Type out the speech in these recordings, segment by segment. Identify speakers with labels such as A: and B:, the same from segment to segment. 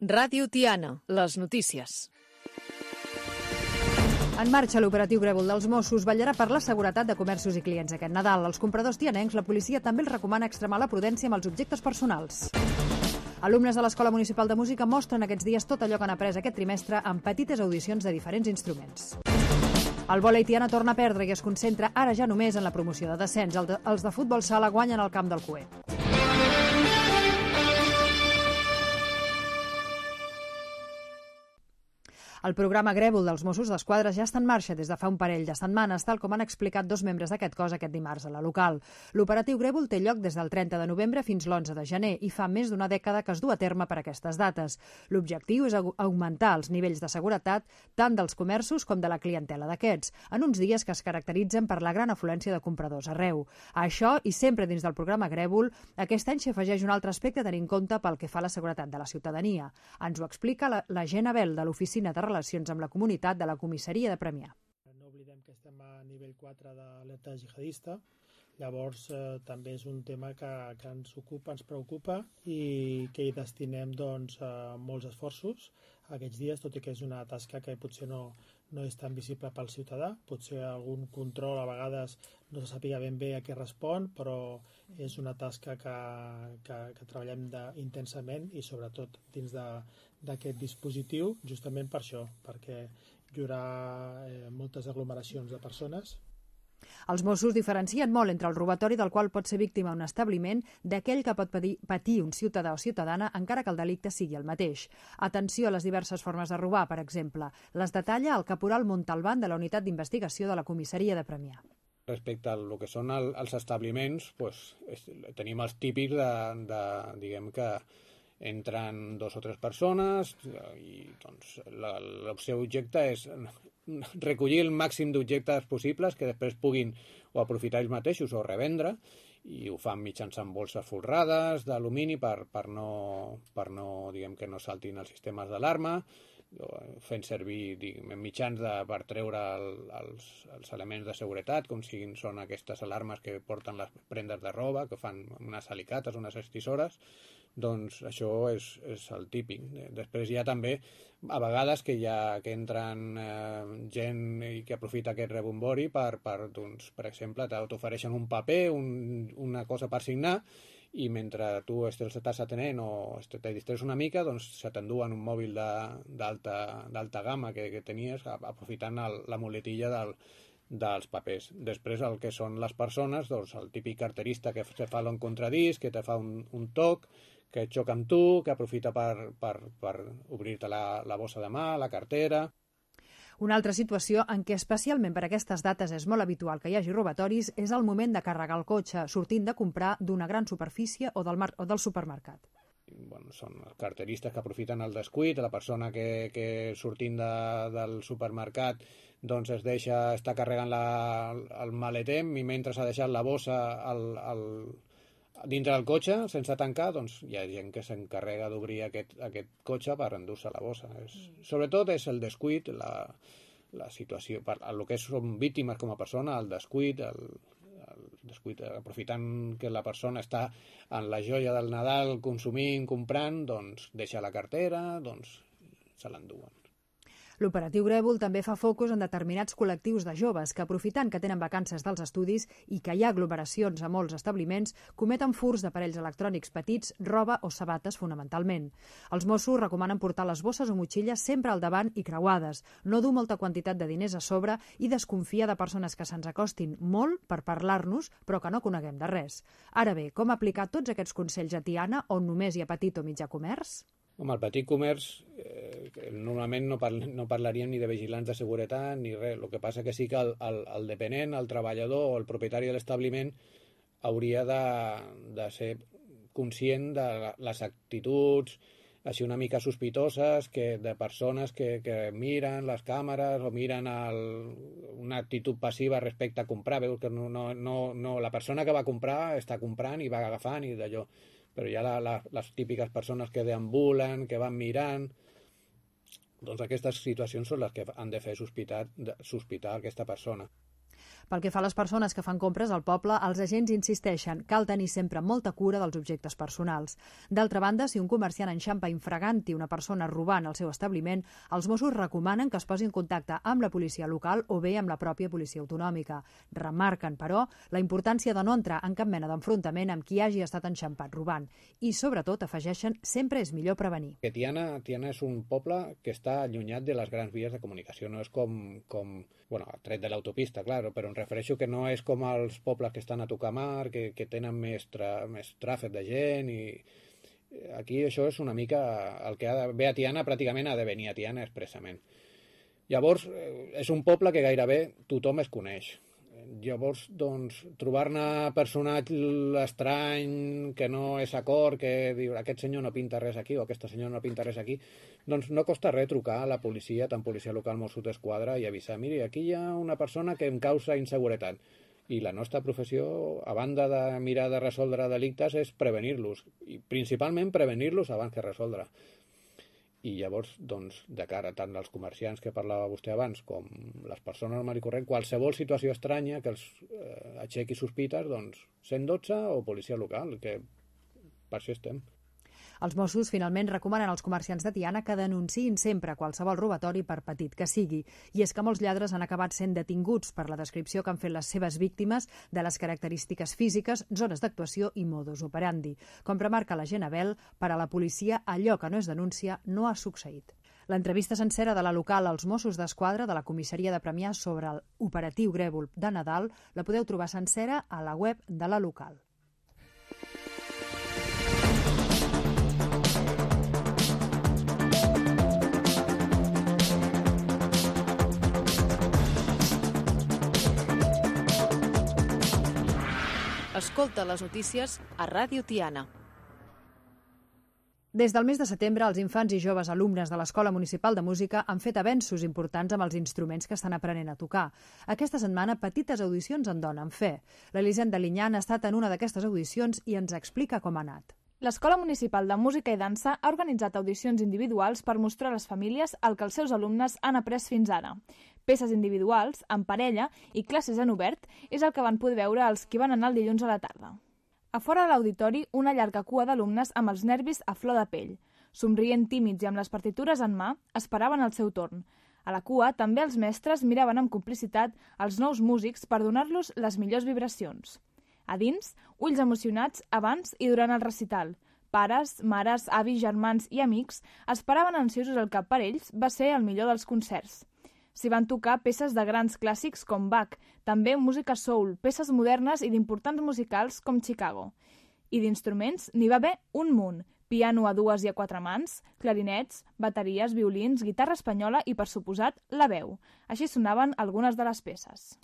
A: Ràdio Tiana, les notícies.
B: En marxa l'operatiu Grèvol dels Mossos vetllarà per la seguretat de comerços i clients aquest Nadal. Als compradors tianencs, la policia també els recomana extremar la prudència amb els objectes personals. Alumnes de l'Escola Municipal de Música mostren aquests dies tot allò que han après aquest trimestre en petites audicions de diferents instruments. El vòlei Tiana torna a perdre i es concentra ara ja només en la promoció de descens. Els de futbol sala guanyen al camp del Cué. El programa Grèvol dels Mossos d'Esquadra ja està en marxa des de fa un parell de setmanes, tal com han explicat dos membres d'aquest cos aquest dimarts a la local. L'operatiu Grèvol té lloc des del 30 de novembre fins l'11 de gener i fa més d'una dècada que es du a terme per aquestes dates. L'objectiu és augmentar els nivells de seguretat tant dels comerços com de la clientela d'aquests, en uns dies que es caracteritzen per la gran afluència de compradors arreu. A això, i sempre dins del programa Grèvol, aquest any s'hi afegeix un altre aspecte a tenir en compte pel que fa a la seguretat de la ciutadania. Ens ho explica la Gent Abel de l'Oficina de Relacions amb la Comunitat de la Comissaria de Premià.
C: No oblidem que estem a nivell 4 d'alerta jihadista, llavors també és un tema que ens ocupa, ens preocupa i que hi destinem molts esforços aquests dies, tot i que és una tasca que potser no és tan visible pel ciutadà, potser algun control a vegades no se sàpiga ben bé a què respon, però és una tasca que treballem intensament i sobretot dins d'aquest dispositiu, justament per això, perquè hi haurà moltes aglomeracions de persones.
B: Els Mossos diferencien molt entre el robatori del qual pot ser víctima un establiment d'aquell que pot patir un ciutadà o ciutadana encara que el delicte sigui el mateix. Atenció a les diverses formes de robar, per exemple. Les detalla el caporal Montalbán de la Unitat d'Investigació de la Comissaria de Premià.
D: Respecte al que són els establiments, tenim els típics diguem que entren 2 o 3 persones i el seu objecte és recollir el màxim d'objectes possibles que després puguin o aprofitar ells mateixos o revendre, i ho fan mitjançant bolses folrades d'alumini per no diguem que no saltin els sistemes d'alarma, fent servir mitjans per treure els elements de seguretat, com són aquestes alarmes que porten les prendes de roba, que fan unes alicates, unes estissores. Doncs això és el típic. Després hi ha també, a vegades, que entren gent que aprofita aquest rebombori per exemple, t'ofereixen un paper, una cosa per signar, i mentre tu estàs atenent o te distreus una mica, doncs se t'enduen un mòbil d'alta gamma que tenies, aprofitant la muletilla dels papers. Després el que són les persones, doncs el típic carterista que se fa l'encontradís, que te fa un toc, que xoca amb tu, que aprofita per obrir-te la bossa de mà, la cartera.
B: Una altra situació en què especialment per aquestes dates és molt habitual que hi hagi robatoris és el moment de carregar el cotxe, sortint de comprar d'una gran superfície o del supermercat.
D: Són els carteristes que aprofiten el descuit, la persona que sortint del supermercat doncs està carregant el maleter i mentre s'ha deixat la bossa dintre del cotxe sense tancar, doncs hi ha gent que s'encarrega d'obrir aquest cotxe per endur-se la bossa. Sobretot és el descuit, la situació, el que són víctimes com a persona, el descuit, aprofitant que la persona està en la joia del Nadal consumint, comprant, doncs deixa la cartera, doncs se l'enduen.
B: L'operatiu Grèvol també fa focus en determinats col·lectius de joves que, aprofitant que tenen vacances dels estudis i que hi ha aglomeracions a molts establiments, cometen furts d'aparells electrònics petits, roba o sabates fonamentalment. Els Mossos recomanen portar les bosses o motxilles sempre al davant i creuades, no dur molta quantitat de diners a sobre i desconfiar de persones que se'ns acostin molt per parlar-nos però que no coneguem de res. Ara bé, com aplicar tots aquests consells a Tiana, on només hi ha petit o mitjà comerç?
D: Home, el petit comerç normalment no parlaríem ni de vigilants de seguretat ni res. El que passa que sí que el dependent, el treballador o el propietari de l'establiment hauria de ser conscient de les actituds així una mica sospitoses de persones que miren les càmeres o miren una actitud passiva respecte a comprar. Veus que la persona que va comprar està comprant i va agafant i d'allò. Però hi ha les típiques persones que deambulen, que van mirant. Doncs aquestes situacions són les que han de fer sospitar aquesta persona.
B: Pel que fa a les persones que fan compres al poble, els agents insisteixen, cal tenir sempre molta cura dels objectes personals. D'altra banda, si un comerciant enxampa infraganti una persona robant al seu establiment, els Mossos recomanen que es posi en contacte amb la policia local o bé amb la pròpia policia autonòmica. Remarquen, però, la importància de no entrar en cap mena d'enfrontament amb qui hagi estat enxampat robant. I, sobretot, afegeixen, sempre és millor prevenir.
D: Tiana és un poble que està allunyat de les grans vies de comunicació. No és com tret de l'autopista, clar, però em refereixo que no és com els pobles que estan a tocar mar, que tenen més tràfic de gent i aquí això és una mica el que ha de ve a Tiana, pràcticament ha de venir a Tiana expressament. Llavors, és un poble que gairebé tothom es coneix. Llavors, doncs, trobar-ne personatge estrany, que no és acord, que diu aquest senyor no pinta res aquí o aquesta senyora no pinta res aquí, doncs no costa res trucar a la policia, tant policia local com Mossos d'Esquadra, i avisar, miri, aquí hi ha una persona que em causa inseguretat. I la nostra professió, a banda de mirar de resoldre delictes, és prevenir-los, i principalment prevenir-los abans que resoldre. I llavors, doncs, de cara tant als comerciants que parlava vostè abans com les persones normal i corrent, qualsevol situació estranya que els aixequi sospites, doncs 112 o policia local, que per això estem.
B: Els Mossos finalment recomanen als comerciants de Tiana que denunciïn sempre qualsevol robatori per petit que sigui. I és que molts lladres han acabat sent detinguts per la descripció que han fet les seves víctimes de les característiques físiques, zones d'actuació i modus operandi. Com remarca l'agent Abel, per a la policia allò que no es denuncia no ha succeït. L'entrevista sencera de la local als Mossos d'Esquadra de la comissaria de Premià sobre l'operatiu Grèvol de Nadal la podeu trobar sencera a la web de la local.
A: Escolta les notícies a Ràdio Tiana.
B: Des del mes de setembre, els infants i joves alumnes de l'Escola Municipal de Música han fet avenços importants amb els instruments que estan aprenent a tocar. Aquesta setmana, petites audicions en donen fe. L'Elisenda Linyan ha estat en una d'aquestes audicions i ens explica com ha anat.
E: L'Escola Municipal de Música i Dansa ha organitzat audicions individuals per mostrar a les famílies el que els seus alumnes han après fins ara. Peces individuals, en parella i classes en obert és el que van poder veure els qui van anar el dilluns a la tarda. A fora de l'auditori, una llarga cua d'alumnes amb els nervis a flor de pell. Somrient tímids i amb les partitures en mà, esperaven el seu torn. A la cua, també els mestres miraven amb complicitat els nous músics per donar-los les millors vibracions. A dins, ulls emocionats abans i durant el recital. Pares, mares, avis, germans i amics esperaven ansiosos el que per ells va ser el millor dels concerts. S'hi van tocar peces de grans clàssics com Bach, també música soul, peces modernes i d'importants musicals com Chicago. I d'instruments n'hi va haver un munt: piano a 2 i a 4 mans, clarinets, bateries, violins, guitarra espanyola i, per suposat, la veu. Així sonaven algunes de les peces.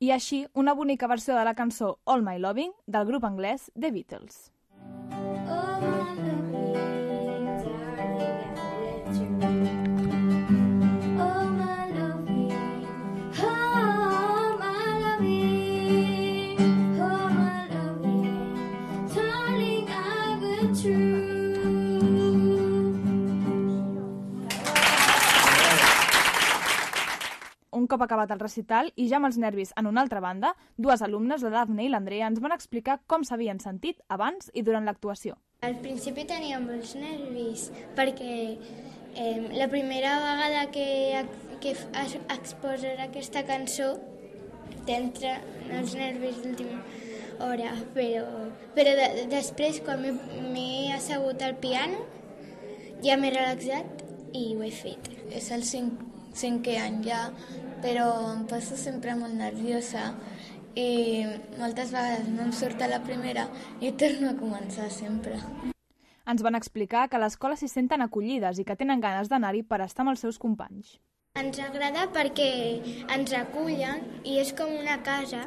E: I així, una bonica versió de la cançó All My Loving del grup anglès The Beatles. Un cop acabat el recital i ja amb els nervis en una altra banda, dues alumnes, la Dafne i l'Andrea, ens van explicar com s'havien sentit abans i durant l'actuació.
F: Al principi tenia molts nervis perquè la primera vegada que exposar aquesta cançó t'entra els nervis d'última hora, però després quan m'he assegut al piano ja m'he relaxat i ho he fet.
G: És el cinquè any ja, però em poso sempre molt nerviosa i moltes vegades no em surt a la primera i torno a començar sempre.
E: Ens van explicar que a l'escola s'hi senten acollides i que tenen ganes d'anar-hi per estar amb els seus companys.
F: Ens agrada perquè ens acullen i és com una casa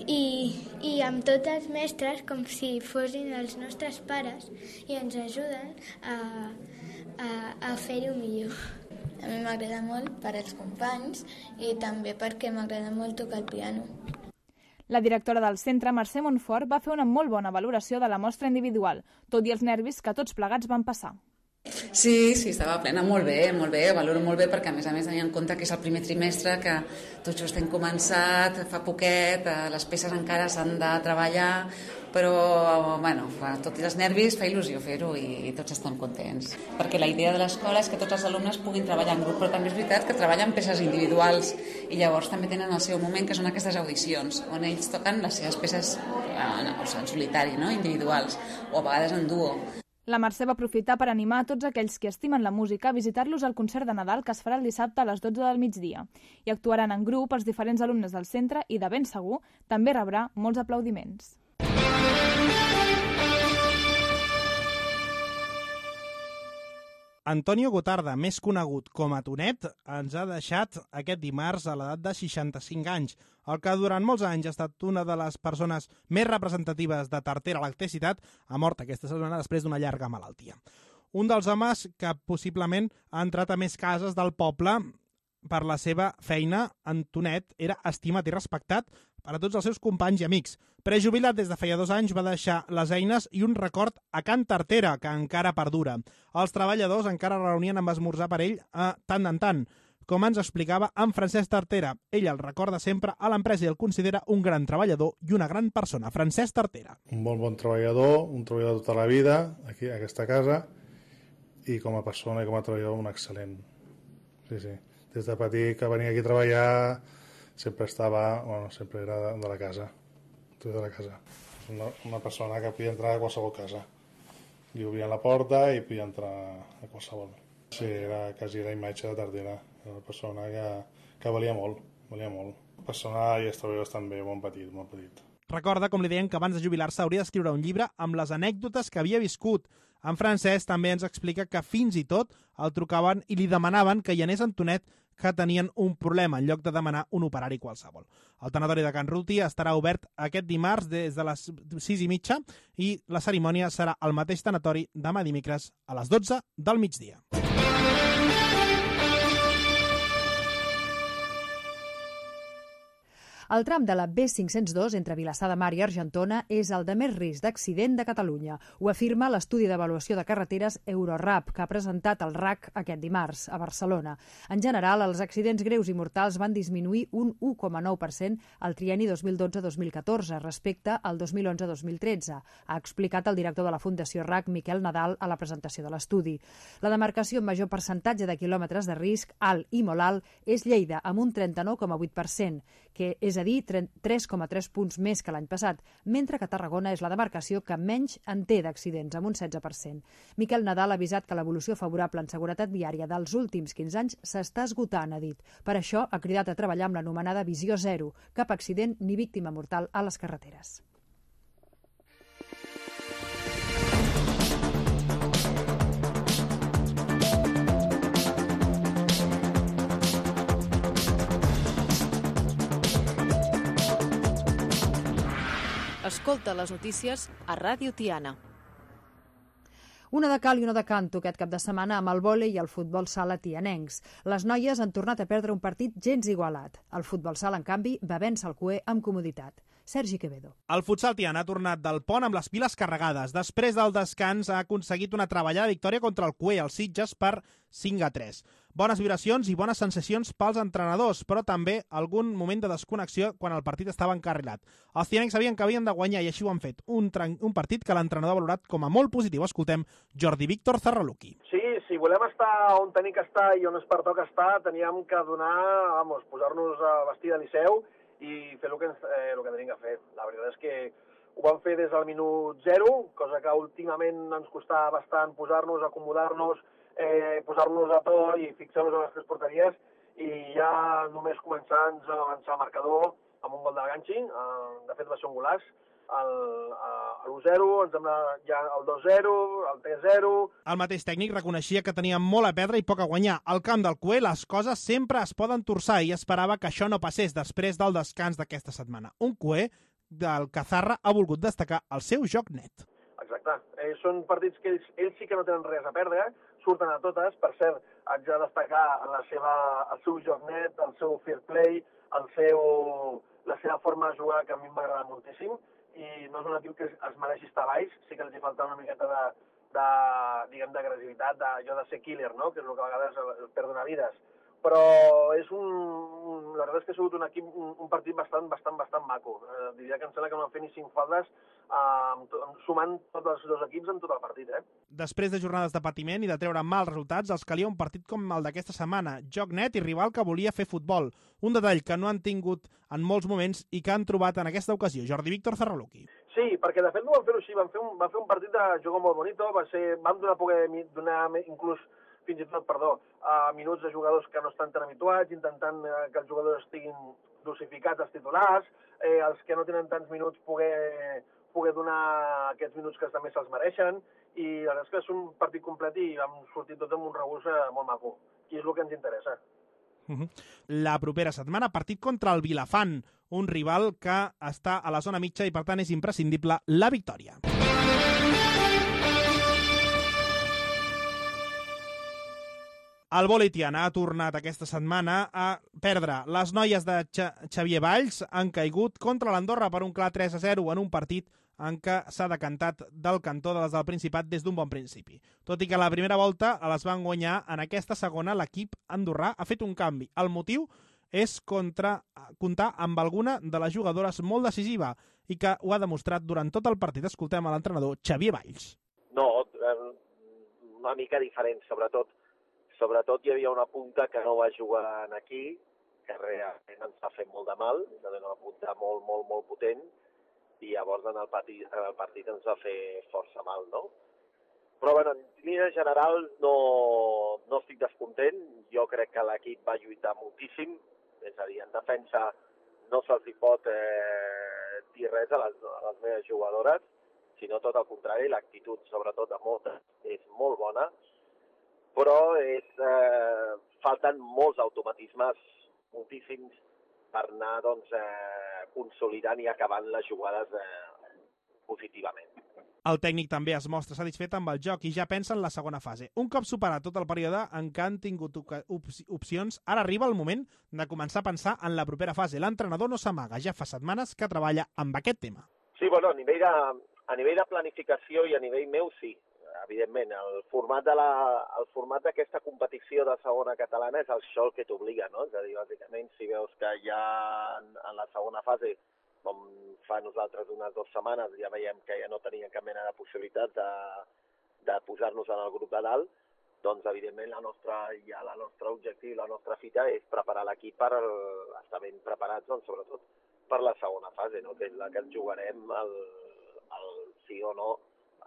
F: i amb tots els mestres com si fossin els nostres pares i ens ajuden a fer-ho millor.
G: A mi m'agrada molt per als companys i també perquè m'agrada molt tocar el piano.
E: La directora del centre, Mercè Montfort, va fer una molt bona valoració de la mostra individual, tot i els nervis que tots plegats van passar.
H: Sí, estava plena, molt bé, valoro molt bé perquè a més tenint en compte que és el primer trimestre, que tot just hem començat, fa poquet, les peces encara s'han de treballar, però tot i els nervis fa il·lusió fer-ho i tots estem contents. Perquè la idea de l'escola és que tots els alumnes puguin treballar en grup, però també és veritat que treballen peces individuals i llavors també tenen el seu moment, que són aquestes audicions, on ells toquen les seves peces en solitari, no? Individuals, o a vegades en duo.
E: La Mercè va aprofitar per animar a tots aquells que estimen la música a visitar-los al concert de Nadal que es farà el dissabte a les 12 del migdia. I actuaran en grup els diferents alumnes del centre i, de ben segur, també rebrà molts aplaudiments.
I: Antonio Gotarda, més conegut com a Tonet, ens ha deixat aquest dimarts a l'edat de 65 anys, el que durant molts anys ha estat una de les persones més representatives de Tartera Electricitat, ha mort aquesta setmana després d'una llarga malaltia. Un dels homes que possiblement ha entrat a més cases del poble per la seva feina, en Tonet era estimat i respectat per a tots els seus companys i amics. Prejubilat des de feia 2 anys, va deixar les eines i un record a Can Tartera, que encara perdura. Els treballadors encara reunien amb esmorzar per ell tant en tant. Com ens explicava en Francesc Tartera, ell el recorda sempre a l'empresa i el considera un gran treballador i una gran persona. Francesc Tartera.
J: Un molt bon treballador, un treballador tota la vida, aquí a aquesta casa, i com a persona i com a treballador un excel·lent. Sí. Des de petit que venia aquí a treballar sempre era de la casa. De la casa. Una persona que podia entrar a qualsevol casa. Li obrien la porta i podia entrar a qualsevol. Sí, era quasi la imatge de Tartera. Era una persona que valia molt. Persona i els treballadors també, molt petit.
I: Recorda, com li deien, que abans de jubilar-se hauria d'escriure un llibre amb les anècdotes que havia viscut. En Francesc també ens explica que fins i tot el trucaven i li demanaven que hi anés en Tonet, que tenien un problema en lloc de demanar un operari qualsevol. El tanatori de Can Ruti estarà obert aquest dimarts des de les 6:30 i la cerimònia serà al mateix tanatori demà dimecres a les 12 del migdia.
B: El tram de la B502 entre Vilassar de Mar i Argentona és el de més risc d'accident de Catalunya. Ho afirma l'estudi d'avaluació de carreteres Eurorap, que ha presentat el RAC aquest dimarts a Barcelona. En general, els accidents greus i mortals van disminuir un 1,9% al trienni 2012-2014 respecte al 2011-2013, ha explicat el director de la Fundació RAC, Miquel Nadal, a la presentació de l'estudi. La demarcació amb major percentatge de quilòmetres de risc alt i molt alt és Lleida, amb un 39,8%, que és a dir, 3,3 punts més que l'any passat, mentre que Tarragona és la demarcació que menys en té d'accidents, amb un 16%. Miquel Nadal ha avisat que l'evolució favorable en seguretat viària dels últims 15 anys s'està esgotant, ha dit. Per això ha cridat a treballar amb l'anomenada Visió Zero, cap accident ni víctima mortal a les carreteres.
A: Escolta les notícies a Ràdio Tiana.
B: Una de cal i una de canto aquest cap de setmana amb el vòlei i el futbol sala tianencs. Les noies han tornat a perdre un partit gens igualat. El futbol sala, en canvi, va vèncer el CUE amb comoditat. Sergi Quevedo.
I: El futsal tiana ha tornat del pont amb les piles carregades. Després del descans ha aconseguit una treballada victòria contra el CUE, els Sitges, per 5-3. Bones vibracions i bones sensacions pels entrenadors, però també algun moment de desconnexió quan el partit estava encarrilat. Els tianencs sabien que havien de guanyar i així ho han fet. Un partit que l'entrenador ha valorat com a molt positiu. Escoltem Jordi Víctor Zarraluki.
K: Sí, si volem estar on tenim que estar i on es pertoca estar, teníem que posar-nos a vestir de liceu i fer el que tenim que fer. La veritat és que ho vam fer des del minut 0, cosa que últimament ens costava bastant posar-nos, acomodar-nos, posar-nos a to i fixar-nos en les tres porteries, i ja només començar a avançar el marcador amb un gol de Ganchi. De fet va ser un golaç, l'1-0, ens sembla ja el 2-0, el 3-0...
I: El mateix tècnic reconeixia que tenia molt a perdre i poc a guanyar. Al camp del CUE les coses sempre es poden torçar i esperava que això no passés després del descans d'aquesta setmana. Un CUE del Cazarra ha volgut destacar el seu joc net.
K: Exacte. Són partits que ells sí que no tenen res a perdre, surten a totes. Per cert, haig de destacar el seu joc net, el seu fair play, la seva forma de jugar, que a mi m'agrada moltíssim, i no és un equip que es mereixi estar baix, sí que els hi falta una miqueta d'agressivitat, d'allò de ser killer, no? Que és el que a vegades perden vides. Però la veritat és que ha sigut un partit bastant maco. Diria que em sembla que no han fet ni 5 faltes sumant tots els dos equips en tot el partit.
I: Després de jornades de patiment i de treure mals resultats, els calia un partit com el d'aquesta setmana, joc net i rival que volia fer futbol. Un detall que no han tingut en molts moments i que han trobat en aquesta ocasió. Jordi Víctor Zarraluki.
K: Sí, perquè de fet no van fer-ho així, van fer un partit de joc molt bonito, vam donar inclús fins i tot, minuts de jugadors que no estan tan habituats, intentant que els jugadors estiguin dosificats als titulars, els que no tenen tants minuts poder donar aquests minuts que també se'ls mereixen, i la veritat és que és un partit complet i vam sortir tots amb un regús molt maco, i és el que ens interessa.
I: La propera setmana, partit contra el Vilafant, un rival que està a la zona mitja i per tant és imprescindible la victòria. El vòlei Tiana ha tornat aquesta setmana a perdre. Les noies de Xavier Valls han caigut contra l'Andorra per un clar 3-0 en un partit en què s'ha decantat del cantó de les del Principat des d'un bon principi. Tot i que a la primera volta les van guanyar, en aquesta segona l'equip andorrà ha fet un canvi. El motiu és comptar amb alguna de les jugadores molt decisiva i que ho ha demostrat durant tot el partit. Escoltem a l'entrenador Xavier Valls.
L: No, una mica diferent, Sobretot hi havia una punta que no va jugar aquí, que realment ens va fer molt de mal, és a dir, una punta molt potent, i llavors en el partit ens va fer força mal, no? Però bueno, en línia general no estic descontent, jo crec que l'equip va lluitar moltíssim, és a dir, en defensa no se'ls hi pot dir res a les meves jugadores, sinó tot el contrari, l'actitud sobretot de moltes és molt bona, però falten molts automatismes, moltíssims, per anar consolidant i acabant les jugades positivament.
I: El tècnic també es mostra satisfet amb el joc i ja pensa en la segona fase. Un cop superat tot el període en què han tingut opcions, ara arriba el moment de començar a pensar en la propera fase. L'entrenador no s'amaga, ja fa setmanes que treballa amb aquest tema.
L: Sí, bueno, a nivell de planificació i a nivell meu sí. Evidentment, el format d'aquesta competició de segona catalana és això el que t'obliga, no? És a dir, bàsicament, si veus que ja en la segona fase, com fa nosaltres unes 2 setmanes, ja veiem que ja no teníem cap mena de possibilitat de posar-nos en el grup de dalt, doncs, evidentment, el nostre objectiu, la nostra fita és preparar l'equip per estar ben preparats, doncs, sobretot per la segona fase, no? Que és la que ens jugarem el sí o no,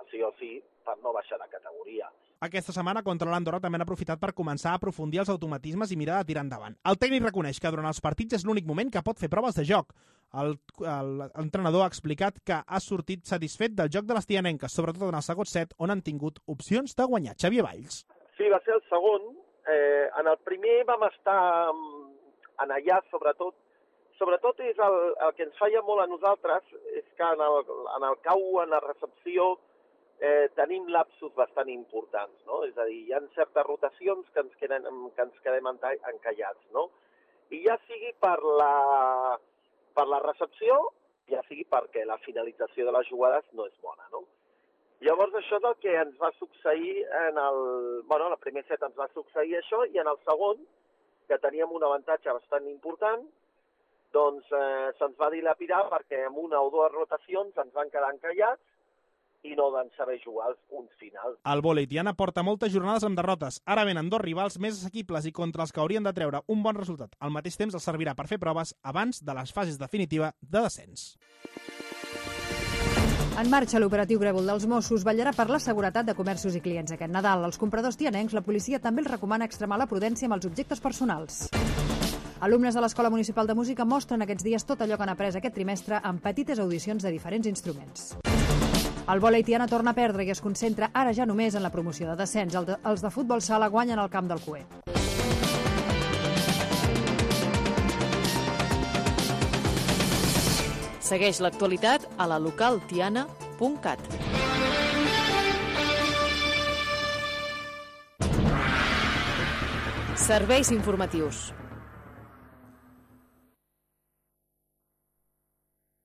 L: sí o sí, per no baixar de categoria.
I: Aquesta setmana contra l'Andorra també han aprofitat per començar a aprofundir els automatismes i mirar de tirar endavant. El tècnic reconeix que durant els partits és l'únic moment que pot fer proves de joc. L'entrenador ha explicat que ha sortit satisfet del joc de les tianenques, sobretot en el segon set, on han tingut opcions de guanyar. Xavier Valls.
L: Sí, va ser el segon. En el primer vam estar en allà, sobretot és el que ens falla molt a nosaltres, és que en el cau, en la recepció, tenim lapsos bastant importants, no? És a dir, hi ha certes rotacions que ens quedem encallats, no? I ja sigui per la recepció, ja sigui perquè la finalització de les jugades no és bona, no? Llavors això és el que ens va succeir en el primer set ens va succeir això, i en el segon, que teníem un avantatge bastant important, doncs se'ns va dilapidar perquè amb una o dues rotacions ens van quedar encallats i no van saber jugar els punts finals.
I: El vòlei Tiana porta moltes jornades amb derrotes. Ara venen 2 rivals més assequibles i contra els que haurien de treure un bon resultat. Al mateix temps els servirà per fer proves abans de les fases definitiva de descens.
B: En marxa l'operatiu Grèvol dels Mossos vetllarà per la seguretat de comerços i clients aquest Nadal. Als compradors tianencs, la policia també els recomana extremar la prudència amb els objectes personals. Alumnes de l'Escola Municipal de Música mostren aquests dies tot allò que han après aquest trimestre amb petites audicions de diferents instruments. El vòlei Tiana torna a perdre i es concentra ara ja només en la promoció de descens. Els de futbol sala guanyen al camp del Cué.
A: Segueix l'actualitat a la localtiana.cat. Serveis informatius.